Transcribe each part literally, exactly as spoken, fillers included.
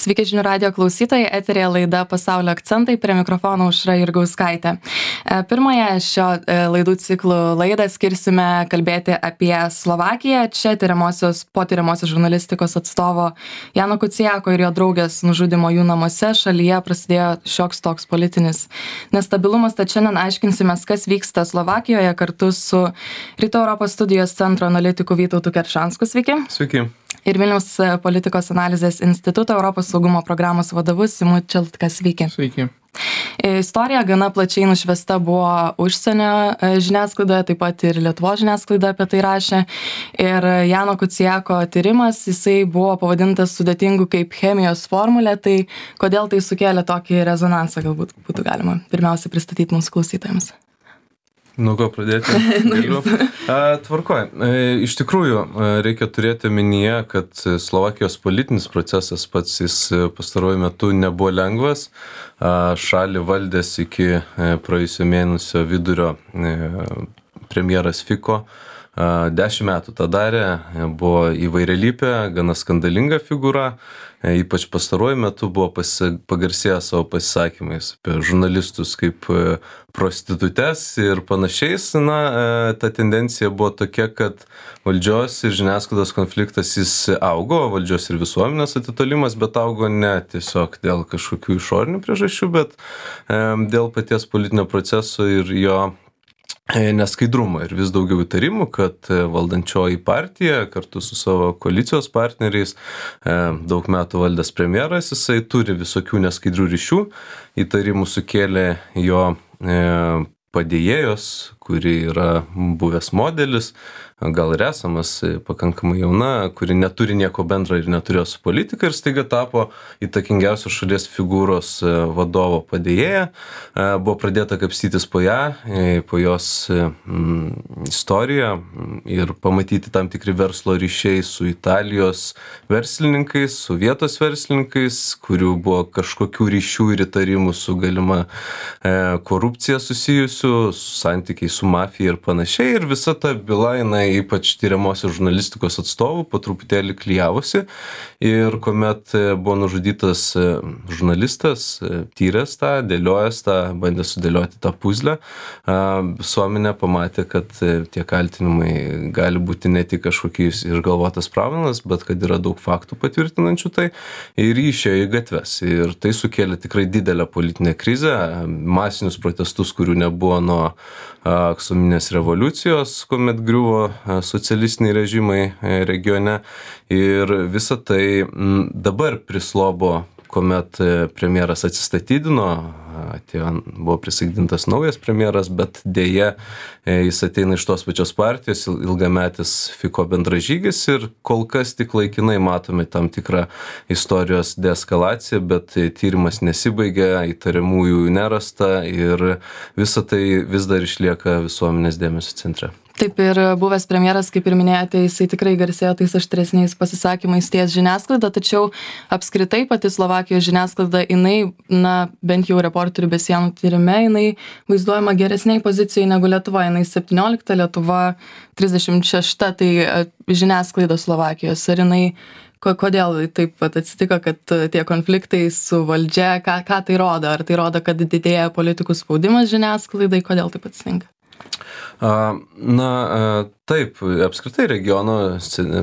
Sveiki žinių radijo klausytojai, eterėje laida Pasaulio akcentai, prie mikrofono Aušra Jurgauskaitė. Pirmąją šio laidų ciklų laidą skirsime kalbėti apie Slovakiją. Čia tyriamosios, po tyriamosios žurnalistikos atstovo Jano Kuciako ir jo draugės nužudimo jų namuose šalyje prasidėjo šioks toks politinis nestabilumas. Tad šiandien aiškinsimės, kas vyksta Slovakijoje kartu su Rytų Europos studijos centro analitiku Vytautu Keršansku. Sveiki. Sveiki. Ir Vilniaus politikos analizės instituto Europos saugumo programos vadovu Simu Čeltka. Sveiki. Sveiki. Istorija gana plačiai nušviesta buvo užsienio žiniasklaidoje, taip pat ir Lietuvos žiniasklaida apie tai rašė. Ir Jano Kuciako tyrimas, jisai buvo pavadintas sudėtingu kaip chemijos formulė. Tai kodėl tai sukėlė tokį rezonansą, galbūt būtų galima pirmiausia pristatyti mūsų klausytojams. Nu, ko pradėti? Galiu. Tvarkoj. Iš tikrųjų, reikia turėti omenyje, kad Slovakijos politinis procesas pats jis pastaruoju metu nebuvo lengvas. Šalį valdės iki praėjusio mėnesio vidurio premjeras Fico. Dešimt metų tą darė, buvo įvairialypė, gana skandalinga figūra, ypač pastaruoju metu buvo pagarsėję savo pasisakymais apie žurnalistus kaip prostitutes ir panašiais. Na, ta tendencija buvo tokia, kad valdžios ir žiniasklaidos konfliktas jis augo, valdžios ir visuomenės atitolimas, bet augo ne tiesiog dėl kažkokių išorinių priežasčių, bet dėl paties politinio proceso ir jo neskaidrumo ir vis daugiau įtarimų, kad valdančioji partija kartu su savo koalicijos partneriais, daug metų valdęs premjeras, jisai turi visokių neskaidrių ryšių. Įtarimų sukėlė jo padėjėjos, kuri yra buvęs modelis, gal ir esamas, pakankamai jauna, kuri neturi nieko bendra ir neturėjo su politika ir staiga tapo įtakingiausios šalies figūros vadovo padėjėja. Buvo pradėta kapstytis po ją, po jos mm, istoriją ir pamatyti tam tikri verslo ryšiai su Italijos verslininkais, su vietos verslininkais, kurių buvo kažkokių ryšių ir įtarimų su galima e, korupcija susijusių, su santykiai su mafija ir panašiai. Ir visa ta byla, jinai ypač tyriamosios žurnalistikos atstovų po truputėlį klijavosi ir kuomet buvo nužudytas žurnalistas, tyręs tą, dėliojęs tą, bandė sudėlioti tą puzlę, visuomenė pamatė, kad tie kaltinimai gali būti ne tik kažkokiais išgalvotas pravilas, bet kad yra daug faktų patvirtinančių tai ir išėjo į gatves. Ir tai sukėlė tikrai didelę politinę krizę, masinius protestus, kurių nebuvo nuo aksominės revoliucijos, kuomet griuvo socialistiniai režimai regione. Ir visa tai dabar prislobo, kuomet premjeras atsistatydino, atėjo, buvo prisaikdintas naujas premjeras, bet dėja jis ateina iš tos pačios partijos, ilgametis Fico bendražygis ir kol kas tik laikinai matome tam tikrą istorijos deeskalaciją, bet tyrimas nesibaigia, įtariamųjų nerasta ir visa tai vis dar išlieka visuomenės dėmesio centre. Taip ir buvęs premjeras, kaip ir minėjote, jisai tikrai garsėjo tais aštresniais pasisakymais ties žiniasklaida, tačiau apskritai pati Slovakijos žiniasklaida, jinai, na, bent jau Reporterių be sienų tyrime, jinai vaizduojama geresniai pozicijai negu Lietuva. Jinai septyniolikta, Lietuva trisdešimt šešta, tai žiniasklaida Slovakijos. Ar jinai, kodėl taip pat atsitiko, kad tie konfliktai su valdžia, ką, ką tai rodo? Ar tai rodo, kad didėja politikų spaudimas žiniasklaidai? Kodėl taip atsitinka? Na, taip, apskritai regiono,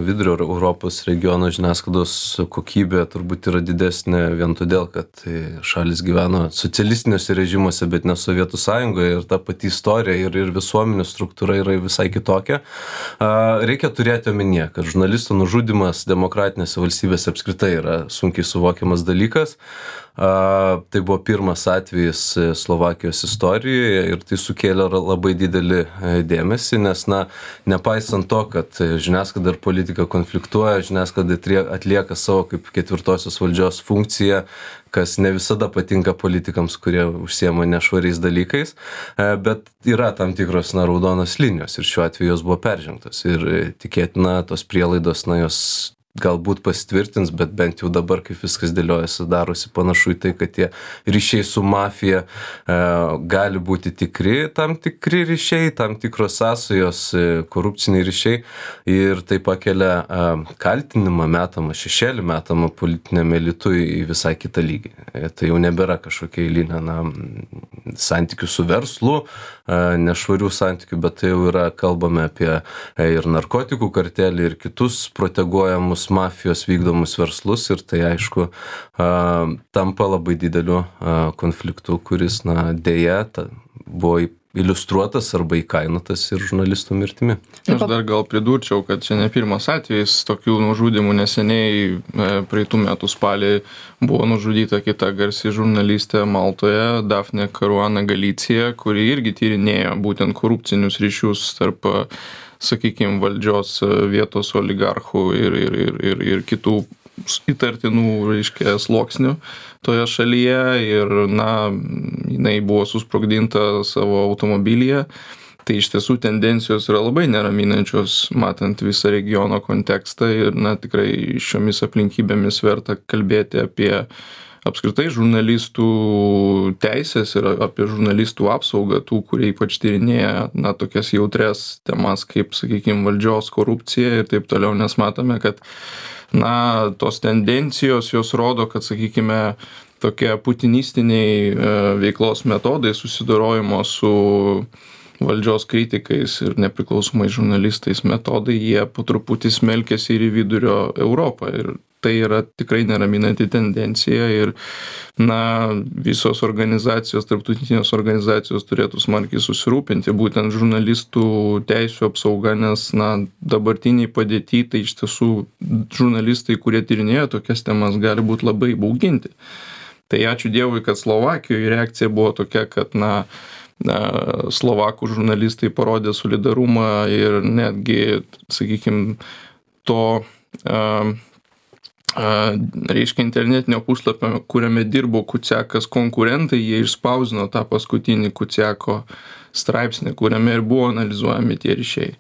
vidurio Europos regiono žiniasklaidos kokybė turbūt yra didesnė vien todėl, kad šalis gyveno socialistiniuose režimuose, bet ne Sovietų Sąjungoje ir ta pati istorija ir, ir visuomenių struktūra yra visai kitokia. Reikia turėti omenyje, kad žurnalisto nužudymas demokratinėse valstybėse apskritai yra sunkiai suvokiamas dalykas. Tai buvo pirmas atvejis Slovakijos istorijoje ir tai sukėlė labai didelį dėmesį, nes, na, nepaisant to, kad žiniasklaida ir politika konfliktuoja, žiniasklaida atlieka savo kaip ketvirtosios valdžios funkciją, kas ne visada patinka politikams, kurie užsiema nešvariais dalykais, bet yra tam tikros, na, raudonos linijos ir šiuo atveju jos buvo peržengtos ir tikėtina tos prielaidos, na, jos galbūt pasitvirtins, bet bent jau dabar, kaip viskas dėliojasi, darosi panašu į tai, kad tie ryšiai su mafija e, gali būti tikri, tam tikri ryšiai, tam tikros sąsajos, e, korupciniai ryšiai ir tai pakelia e, kaltinimą metamą, šešėlį metamą politiniam elitui į visai kitą lygį. E, tai jau nebėra kažkokia eilinė na, santykių su verslu, e, nešvarių santykių, bet tai jau yra, kalbame apie e, ir narkotikų kartelį, ir kitus proteguojamus mafijos vykdomus verslus ir tai aišku tampa labai dideliu konfliktu, kuris na, dėja ta, buvo iliustruotas arba įkainotas ir žurnalistų mirtimi. Aš dar gal pridurčiau, kad čia ne pirmas atvejis tokių nužudimų. Neseniai praeitų metų spalį buvo nužudyta kita garsi žurnalistė Maltoje, Daphne Caruana Galizia, kuri irgi tyrinėjo būtent korupcinius ryšius tarp, sakykime, valdžios vietos oligarchų ir, ir, ir, ir, ir kitų įtartinų, reiškia, sluoksnių toje šalyje ir, na, jinai buvo susprogdinta savo automobilyje. Tai iš tiesų tendencijos yra labai neraminančios, matant visą regiono kontekstą ir, na, tikrai šiomis aplinkybėmis verta kalbėti apie apskritai žurnalistų teisės ir apie žurnalistų apsaugą, tų, kurie ypač tyrinėja, na, tokias jautrias temas kaip, sakykime, valdžios korupcija ir taip toliau, nes matome, kad na, tos tendencijos jos rodo, kad, sakykime, tokie putinistiniai veiklos metodai susidorojimo su valdžios kritikais ir nepriklausomais žurnalistais metodai, jie po truputį smelkėsi ir į vidurio Europą. Ir tai yra tikrai neraminanti tendencija ir, na, visos organizacijos, tarptautinės organizacijos turėtų smarkiai susirūpinti būtent žurnalistų teisių apsauga, nes, na, dabartiniai padėty, tai iš tiesų žurnalistai, kurie tyrinėjo tokias temas, gali būti labai bauginti. Tai ačiū Dievui, kad Slovakijoje reakcija buvo tokia, kad, na, Slovakų žurnalistai parodė solidarumą ir netgi, sakykime, to a, a, reiškia internetinio puslapio, kuriame dirbo Kuciakas konkurentai, jie išspausdino tą paskutinį Kuciako straipsnį, kuriame ir buvo analizuojami tie ryšiai.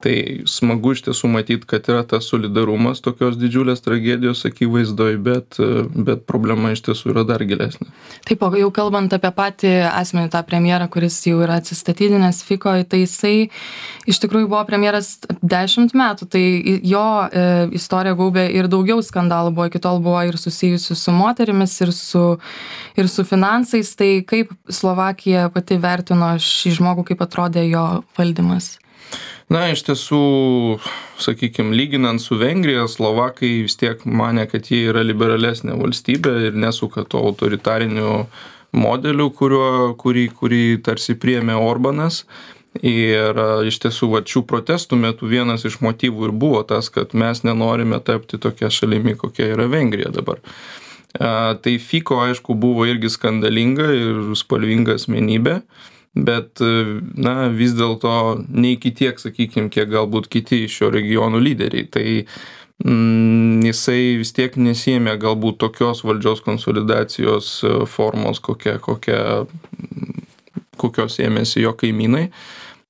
Tai smagu iš tiesų matyti, kad yra tas solidarumas tokios didžiulės tragedijos akivaizdoj, bet, bet problema iš tiesų yra dar gilesnė. Taip, o jau kalbant apie patį asmenį, tą premjerą, kuris jau yra atsistatydinęs Fico, tai jisai iš tikrųjų buvo premjeras dešimt metų, tai jo e, istorija gaubė ir daugiau skandalų buvo, iki tol buvo ir susijusių su moterimis, ir su, ir su finansais, tai kaip Slovakija pati vertino šį žmogų, kaip atrodė jo valdymas? Na, iš tiesų, sakykime, lyginant su Vengrija, Slovakai vis tiek mane, kad jie yra liberalesnė valstybė ir nesuka to autoritarinių modelių, kurio, kurį, kurį tarsi priėmė Orbanas. Ir iš tiesų, va, šių protestų metu vienas iš motyvų ir buvo tas, kad mes nenorime tapti tokia šalimi, kokia yra Vengrija dabar. A, tai Fico, aišku, buvo irgi skandalinga ir spalvinga asmenybė. Bet, na, vis dėlto ne iki tiek, sakykime, kiek galbūt kiti šio regionų lyderiai. Tai mm, jisai vis tiek nesiėmė galbūt tokios valdžios konsolidacijos formos, kokia, kokia, kokios ėmėsi jo kaimynai.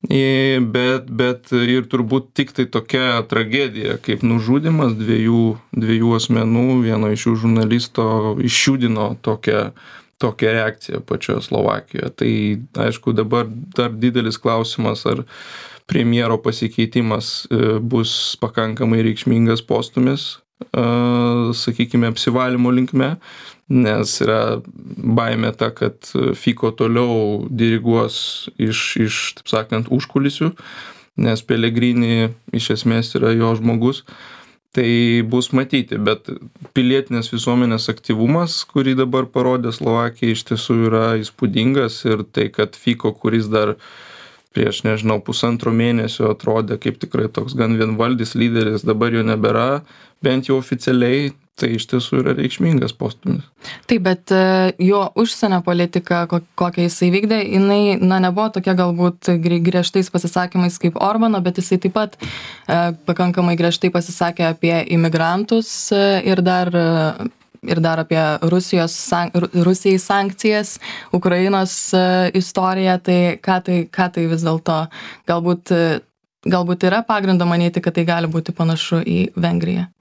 Bet, bet ir turbūt tik tai tokia tragedija, kaip nužudymas dviejų, dviejų asmenų, vieno iš jų žurnalisto išjudino tokią tokia reakcija pačioje Slovakijoje. Tai, aišku, dabar dar didelis klausimas, ar premjero pasikeitimas bus pakankamai reikšmingas postumis, sakykime, apsivalymo linkme, nes yra baimė ta, kad Fico toliau diriguos iš, iš taip sakant, užkulisių, nes Pellegrini iš esmės yra jo žmogus. Tai bus matyti, bet pilietinės visuomenės aktyvumas, kurį dabar parodė Slovakija, iš tiesų yra įspūdingas ir tai, kad Fico, kuris dar prieš, nežinau, pusantro mėnesio atrodė kaip tikrai toks gan vienvaldis lyderis, dabar jo nebėra, bent jau oficialiai, tai iš tiesų yra reikšmingas postumis. Taip, bet jo užsienio politika, kokią jisai vykdė, jinai, na, nebuvo tokia galbūt griežtais pasisakymais kaip Orbano, bet jisai taip pat e, pakankamai griežtai pasisakė apie imigrantus ir dar, ir dar apie Rusijos, Rusijai sankcijas, Ukrainos istoriją, tai ką tai, ką tai vis dėlto galbūt, galbūt yra pagrindo manyti, kad tai gali būti panašu į Vengriją?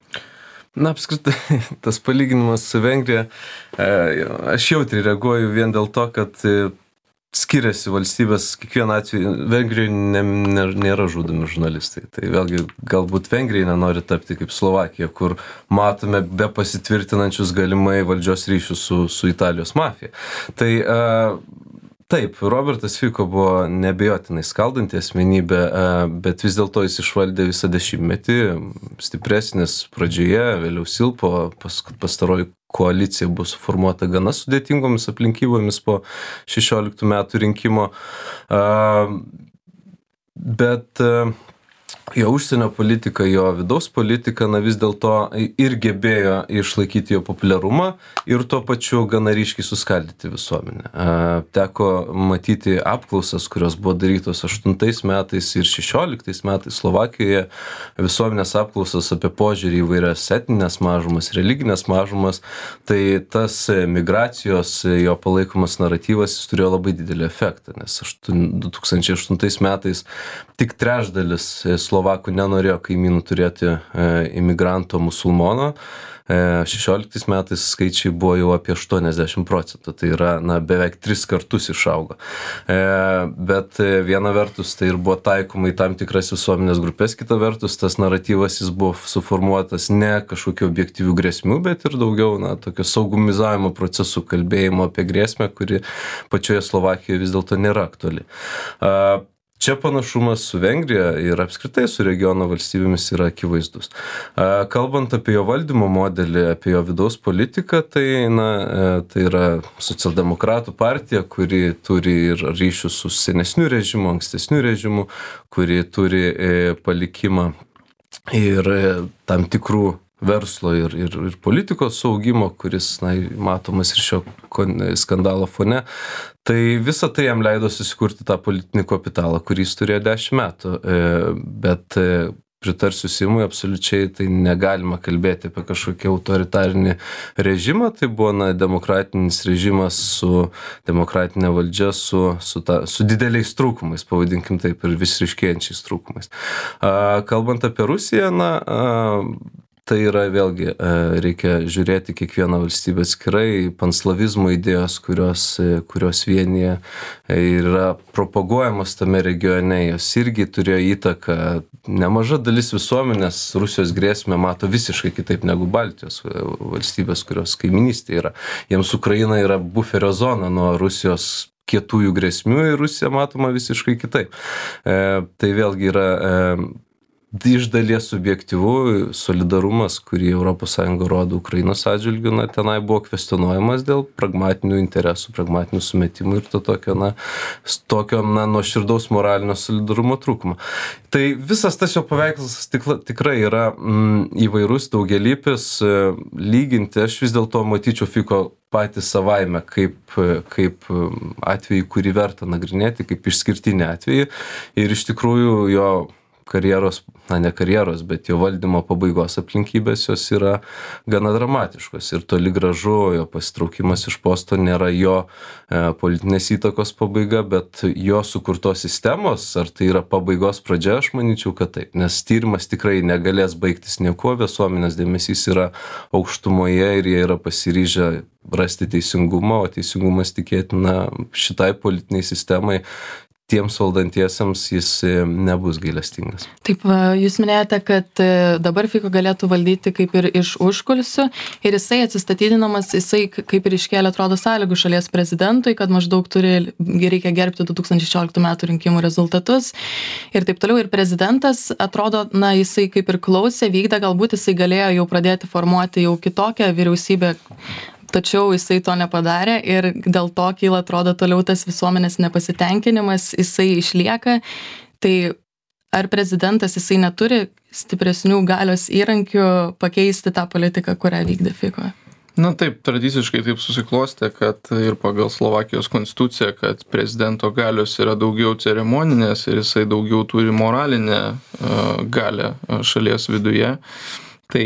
Na, apskritai, tas palyginimas su Vengrija, aš jautriai reaguoju vien dėl to, kad skiriasi valstybės, kiekvieną atveju, Vengrijoje nėra žudomi žurnalistai. Tai vėlgi, galbūt Vengrija nenori tapti kaip Slovakija, kur matome be pasitvirtinančius galimai valdžios ryšius su, su Italijos mafija. Tai taip, Robertas Fico buvo neabejotinai skaldanti asmenybė, bet vis dėlto jis išvaldė visą dešimtmetį, stipresnis pradžioje, vėliau silpo, pas, pastaroji koalicija buvo suformuota gana sudėtingomis aplinkybomis po šešioliktų metų rinkimo, bet jo užsienio politika, jo vidaus politika, na vis dėlto ir gebėjo išlaikyti jo populiarumą ir tuo pačiu gana ryškiai suskaldyti visuomenę. Teko matyti apklausas, kurios buvo darytos aštuntais metais ir šešioliktais metais Slovakijoje, visuomenės apklausas apie požiūrį į vairias etninės mažumas, religinės mažumas, tai tas migracijos, jo palaikomas naratyvas, jis turėjo labai didelį efektą, nes du tūkstančiai aštuntais metais tik trečdalis Slovakų nenorėjo kaimynų turėti e, imigranto musulmono. E, šešioliktais metais skaičiai buvo jau apie aštuoniasdešimt procentų, tai yra na, beveik tris kartus išaugo. E, bet viena vertus tai ir buvo taikoma į tam tikras visuomenės grupės, kita vertus tas naratyvas jis buvo suformuotas ne kažkokių objektyvių grėsmių, bet ir daugiau na, tokio saugumizavimo procesų kalbėjimo apie grėsmę, kuri pačioje Slovakijoje vis dėlto nėra aktuali. E, Čia panašumas su Vengrija ir apskritai su regiono valstybėmis yra akivaizdus. Kalbant apie jo valdymo modelį, apie jo vidaus politiką, tai, na, tai yra socialdemokratų partija, kuri turi ir ryšių su senesniu režimu, ankstesniu režimu, kuri turi palikimą ir tam tikrų verslo ir, ir, ir politikos saugimo, kuris na, matomas ir šio skandalo fone. Tai visa tai jam leido susikurti tą politinį kapitalą, kurį jis turėjo dešimt metų. Bet pritarsiu Simui, absoliučiai tai negalima kalbėti apie kažkokį autoritarinį režimą. Tai buvo na, demokratinis režimas su demokratinė valdžia, su, su, ta, su dideliais trūkumais, pavadinkim taip, ir vis ryškėjančiais trūkumais. Kalbant apie Rusiją, na, tai yra vėlgi, reikia žiūrėti kiekvieną valstybę atskirai, panslavizmo idėjos, kurios, kurios vienyje ir yra propaguojamos tame regione, jos irgi turėjo įtaką. Nemaža dalis visuomenės Rusijos grėsmę mato visiškai kitaip negu Baltijos valstybės, kurios kaiminystė yra. Jiems Ukraina yra buferio zona nuo Rusijos kietųjų grėsmių ir Rusija matoma visiškai kitaip. E, tai vėlgi yra e, iš dalies subjektyvų solidarumas, kurį Europos Sąjunga rodo Ukrainos atžvilgiu, na, tenai buvo kvestionuojamas dėl pragmatinių interesų, pragmatinių sumetimų ir to tokio, na, tokio, na, nuoširdaus moralinio solidarumo trūkumo. Tai visas tas jo paveikslas tikla, tikrai yra mm, įvairus, daugialypis, lyginti, aš vis dėlto matyčiau Fico patys savaime kaip, kaip atvejį, kurį verta nagrinėti, kaip išskirtinį atvejį ir iš tikrųjų jo karjeros, na ne karjeros, bet jo valdymo pabaigos aplinkybės jos yra gana dramatiškos ir toli gražu jo pasitraukimas iš posto nėra jo e, politinės įtakos pabaiga, bet jo sukurtos sistemos, ar tai yra pabaigos pradžia, aš manyčiau, kad taip, nes tyrimas tikrai negalės baigtis niekuo, visuomenės dėmesys yra aukštumoje ir jie yra pasiryžę rasti teisingumą, o teisingumas tikėtina šitai politiniai sistemai tiems valdantiesiems jis nebus gailestingas. Taip, jūs minėjote, kad dabar Fico galėtų valdyti kaip ir iš užkulisių ir jisai atsistatydinamas, jisai kaip ir iškėlė, atrodo, sąlygų šalies prezidentui, kad maždaug turi, reikia gerbti du tūkstančiai šešioliktų metų rinkimų rezultatus ir taip toliau. Ir prezidentas, atrodo, na, jisai kaip ir klausė, vykdė, galbūt jisai galėjo jau pradėti formuoti jau kitokią vyriausybę, tačiau jisai to nepadarė ir dėl to kyla, atrodo, toliau tas visuomenės nepasitenkinimas, jisai išlieka. Tai ar prezidentas jisai neturi stipresnių galios įrankių pakeisti tą politiką, kurią vykdė Fico? Na taip, tradiciškai taip susiklostė, kad ir pagal Slovakijos konstituciją, kad prezidento galios yra daugiau ceremoninės ir jisai daugiau turi moralinę uh, galią šalies viduje. Tai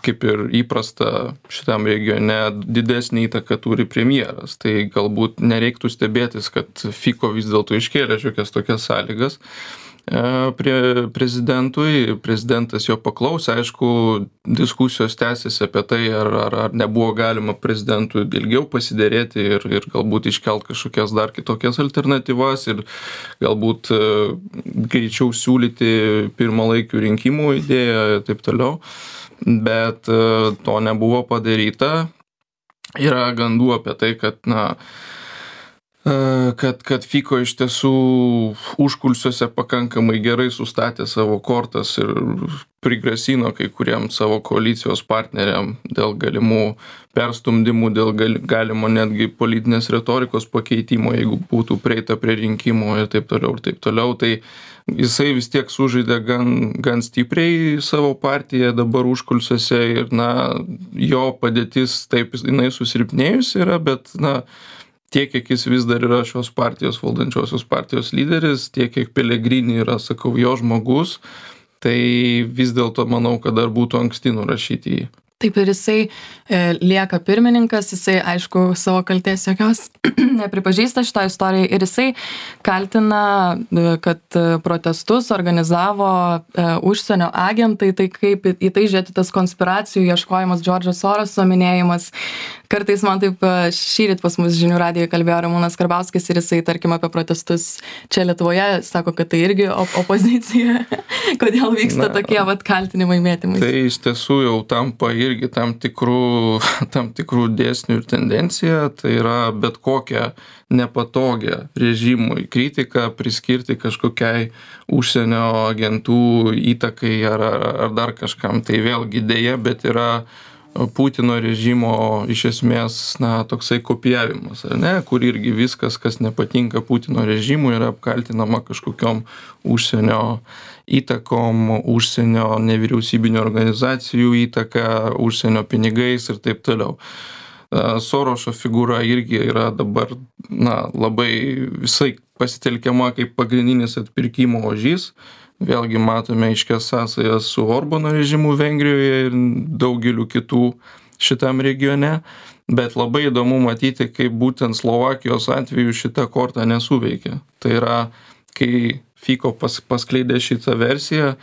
kaip ir įprasta šitam regione didesnį įtaką turi premjeras. Tai galbūt nereiktų stebėtis, kad Fico vis dėlto iškėlė šiokias tokias sąlygas. prie prezidentui, prezidentas jo paklausė, aišku, diskusijos tęsiasi apie tai, ar, ar, ar nebuvo galima prezidentui ilgiau pasiderėti ir, ir galbūt iškelt kažkokias dar kitokias alternatyvas ir galbūt greičiau siūlyti pirmalaikių rinkimų idėją ir taip toliau, bet to nebuvo padaryta. Yra gandų apie tai, kad, na, kad, kad Fico iš tiesų užkulsiuose pakankamai gerai sustatė savo kortas ir prigrasino kai kuriem savo koalicijos partneriam dėl galimų perstumdymų, dėl galimo netgi politinės retorikos pakeitimo, jeigu būtų prieita prie rinkimų ir taip toliau ir taip toliau. Tai jisai vis tiek sužaidė gan, gan stipriai savo partiją dabar užkulsiuose ir, na, jo padėtis taip jinai susilpnėjusi yra, bet, na, tiek, kiek jis vis dar yra šios partijos, valdančiosios partijos lyderis, tiek, kiek Pellegrini yra, sakau, jo žmogus, tai vis dėlto manau, kad dar būtų anksti nurašyti jį. Taip, ir jisai e, lieka pirmininkas, jisai, aišku, savo kaltės jokios nepripažįsta šitą istoriją ir jisai kaltina, kad protestus organizavo e, užsienio agentai, tai kaip į tai žiūrėti tas konspiracijų ieškojimas, Džordžo Soroso minėjimas. Kartais man taip šįryt pas mus žinių radijoje kalbėjo Ramūnas Karbauskis ir jisai, tarkim, apie protestus čia Lietuvoje, sako, kad tai irgi op opozicija. Kodėl vyksta Na, tokie vat kaltinimai mėtymais? Tai iš tiesų jau tampa irgi tam tikrų, tam tikrų dėsnių ir tendencija, tai yra bet kokią nepatogią režimui kritiką priskirti kažkokiai užsienio agentų įtakai ar, ar, ar dar kažkam. Tai vėlgi dėja, bet yra Putino režimo iš esmės, na, toksai kopijavimas, ar ne, kur irgi viskas, kas nepatinka Putino režimui, yra apkaltinama kažkokiom užsienio įtakom, užsienio nevyriausybinio organizacijų įtaka, užsienio pinigais ir taip toliau. Sorošo figūra irgi yra dabar, na, labai visai pasitelkiama kaip pagrindinis atpirkimo ožys. Vėlgi matome aiškias sąsajas su Orbano režimu Vengrijoje ir daugeliu kitų šitam regione, bet labai įdomu matyti, kaip būtent Slovakijos atveju šita korta nesuveikia. Tai yra, kai Fico pas, paskleidė šitą versiją,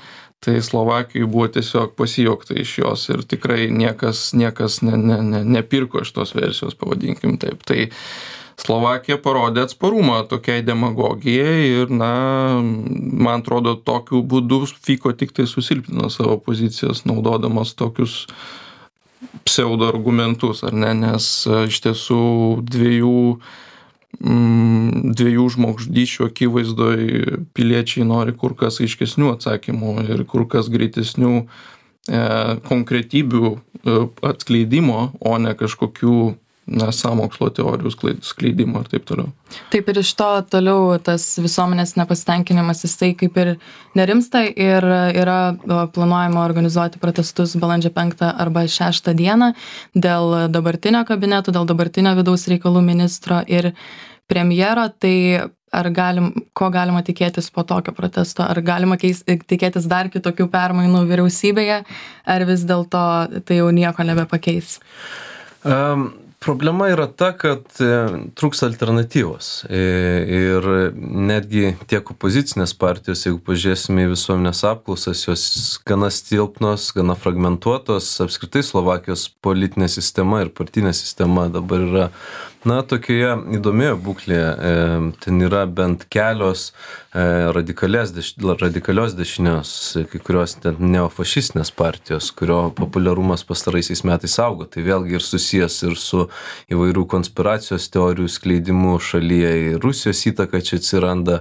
tai Slovakijoje buvo tiesiog pasijuokta iš jos ir tikrai niekas, niekas ne, ne, ne, nepirko šitos versijos, pavadinkim taip. Tai Slovakija parodė atsparumą tokiai demagogijai ir, na, man atrodo, tokiu būdu Fico tik tai susilpnino savo pozicijas, naudodamas tokius pseudo argumentus, ar ne, nes iš tiesų dviejų, mm, dviejų žmogžudysčių akivaizdoj piliečiai nori kur kas aiškesnių atsakymų ir kur kas greitesnių e, konkretybių e, atskleidimo, o ne kažkokių na, sąmokslo teorijų skleidimo ir taip toliau. Taip, ir iš to toliau tas visuomenės nepasitenkinimas jisai kaip ir nerimsta ir yra planuojama organizuoti protestus balandžio penktą arba šeštą dieną dėl dabartinio kabineto, dėl dabartinio vidaus reikalų ministro ir premjero. Tai ar galim, ko galima tikėtis po tokio protesto? Ar galima keis, tikėtis dar kitokių permainų vyriausybėje, ar vis dėlto tai jau nieko nebepakeis? Um. Problema yra ta, kad trūksta alternatyvos ir netgi tiek opozicinės partijos, jeigu pažiūrėsime į visuomenės apklausas, jos gana silpnos, gana fragmentuotos, apskritai Slovakijos politinė sistema ir partinė sistema dabar yra, na, tokioje įdomioje būklėje. Ten yra bent kelios radikalios, radikalios dešinios, kai kurios ten neofašistinės partijos, kurio populiarumas pastaraisiais metais augo. Tai vėlgi ir susijęs ir su įvairių konspiracijos teorijų skleidimu šalyje, ir Rusijos įtaka čia atsiranda.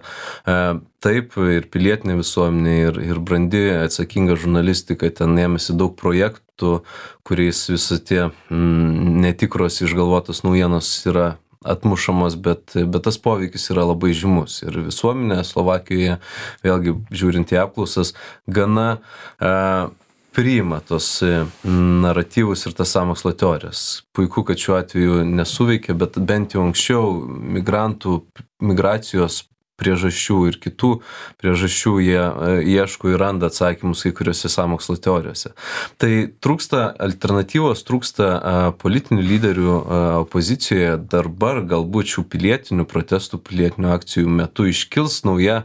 Taip, ir pilietinė visuomenė, ir, ir brandi atsakinga žurnalistika ten ėmėsi daug projektų, kuriais visi tie mm, netikros išgalvotos naujienos yra atmušamos, bet, bet tas poveikis yra labai žymus. Ir visuomenė Slovakijoje, vėlgi žiūrint į apklausas, gana e, priima tos naratyvus ir tas sąmokslo teorijas. Puiku, kad šiuo atveju nesuveikia, bet bent jau anksčiau migrantų, migracijos priežasčių ir kitų priežasčių jie ieško ir randa atsakymus kai kuriuose sąmokslo teorijose. Tai trūksta alternatyvos, trūksta politinių lyderių opozicijoje. Dabar galbūt šių pilietinių protestų, pilietinių akcijų metu iškils nauja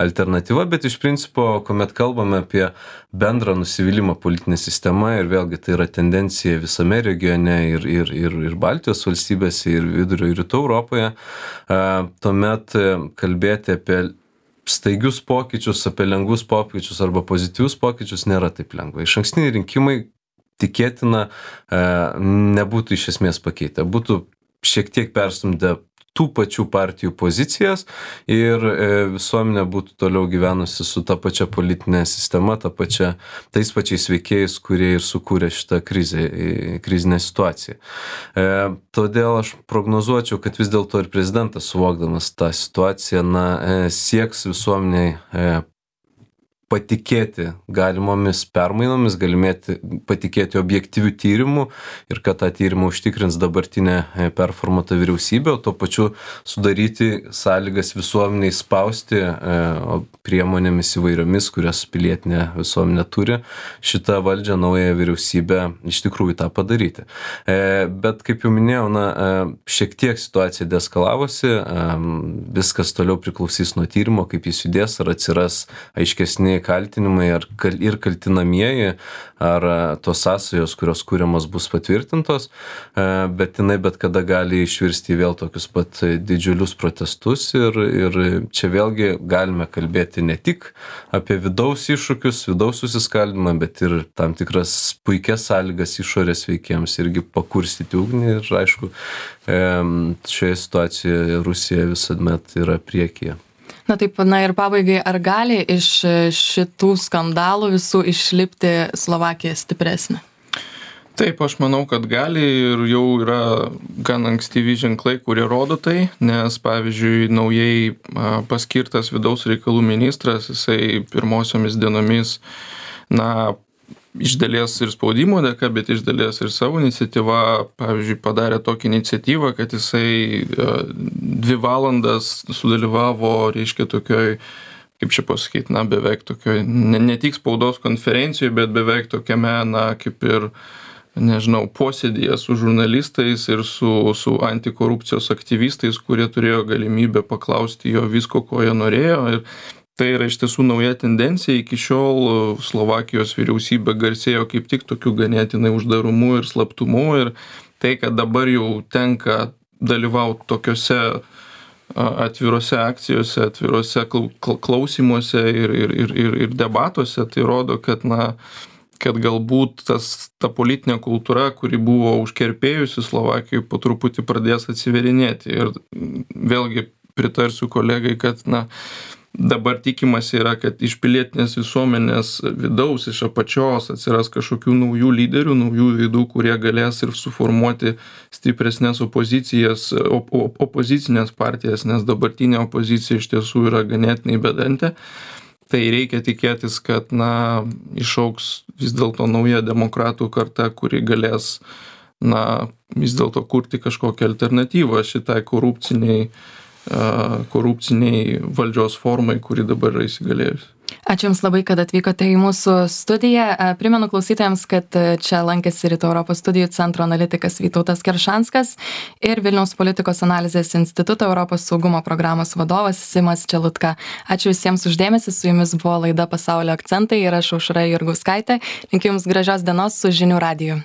alternatyva, bet iš principo, kuomet kalbame apie bendrą nusivylimą politinė sistema ir vėlgi tai yra tendencija visame regione ir, ir, ir, ir Baltijos valstybėse, ir vidurio ir rytų Europoje, tuomet kalbėti apie staigius pokyčius, apie lengvus pokyčius arba pozityvius pokyčius nėra taip lengva. Išankstiniai rinkimai tikėtina nebūtų iš esmės pakeitę, būtų šiek tiek perstumdę tų pačių partijų pozicijas ir visuomenė būtų toliau gyvenusi su ta pačia politinė sistema, ta pačia, tais pačiais veikėjais, kurie ir sukūrė šitą krizę, krizinę situaciją. Todėl aš prognozuočiau, kad vis dėlto ir prezidentas, suvokdamas tą situaciją, na, sieks visuomeniai patikėti galimomis permainomis, galimėti patikėti objektyvių tyrimų ir kad tą tyrimą užtikrins dabartinė performuota vyriausybė, o tuo pačiu sudaryti sąlygas visuomeniai spausti priemonėmis įvairiomis, kurias pilietinė visuomenė turi, šitą valdžią, naują vyriausybę iš tikrųjų tą padaryti. Bet kaip jau minėjau, na, šiek tiek situacija deeskalavosi, viskas toliau priklausys nuo tyrimo, kaip jis judės, ar atsiras aiškesni kaltinimai ar kal, ir kaltinamieji, ar tos sąsajos, kurios kūriamos bus patvirtintos, bet jinai bet kada gali išvirsti vėl tokius pat didžiulius protestus ir, ir čia vėlgi galime kalbėti ne tik apie vidaus iššūkius, vidaus susiskaldimą, bet ir tam tikras puikias sąlygas išorės veikėjams irgi pakurstyti ugnį ir aišku, šioje situacijoje Rusija visuomet yra priekyje. Na taip, na ir pabaigai, ar gali iš šitų skandalų visų išlipti Slovakija stipresnė? Taip, aš manau, kad gali ir jau yra gan ankstyvi ženklai, kurie rodo tai, nes pavyzdžiui, naujai paskirtas vidaus reikalų ministras, jisai pirmosiomis dienomis, na, iš dalies ir spaudimo dėka, bet iš dalies ir savo iniciatyva, pavyzdžiui, padarė tokią iniciatyvą, kad jisai dvi valandas sudalyvavo, reiškia, tokioj, kaip čia pasakyti, na, beveik tokioj, ne, ne tik spaudos konferencijoje, bet beveik tokiame, na, kaip ir, nežinau, posėdėje su žurnalistais ir su, su antikorupcijos aktyvistais, kurie turėjo galimybę paklausti jo visko, ko jie norėjo. Ir tai yra iš tiesų nauja tendencija. Iki šiol Slovakijos vyriausybė garsėjo kaip tik tokiu ganėtinai uždarumu ir slaptumu. Ir tai, kad dabar jau tenka dalyvauti tokiuose atvirose akcijose, atvirose klausimuose ir, ir, ir, ir, ir debatuose, tai rodo, kad, na, kad galbūt tas, ta politinė kultūra, kuri buvo užkerpėjusi Slovakijoje, po truputį pradės atsiverinėti. Ir vėlgi pritarsiu kolegai, kad, na, dabar tikimasi yra, kad iš pilietinės visuomenės vidaus, iš apačios atsiras kažkokių naujų lyderių, naujų veidų, kurie galės ir suformuoti stipresnės opozicijas, op, op, opozicinės partijas, nes dabartinė opozicija iš tiesų yra ganėtinai bedantė. Tai reikia tikėtis, kad, na, išaugs vis dėlto nauja demokratų karta, kuri galės, na, vis dėlto kurti kažkokią alternatyvą šitai korupciniai korupciniai valdžios formai, kuri dabar yra įsigalėjusi. Ačiū Jums labai, kad atvykote į mūsų studiją. Primenu klausytojams, kad čia lankėsi Rytų Europos studijų centro analitikas Vytautas Keršanskas ir Vilniaus politikos analizės instituto Europos saugumo programos vadovas Simas Čelutka. Ačiū visiems už dėmesį, su Jumis buvo laida Pasaulio akcentai ir aš Aušra Jurgauskaitė. Linkiu Jums gražios dienos su Žinių radiju.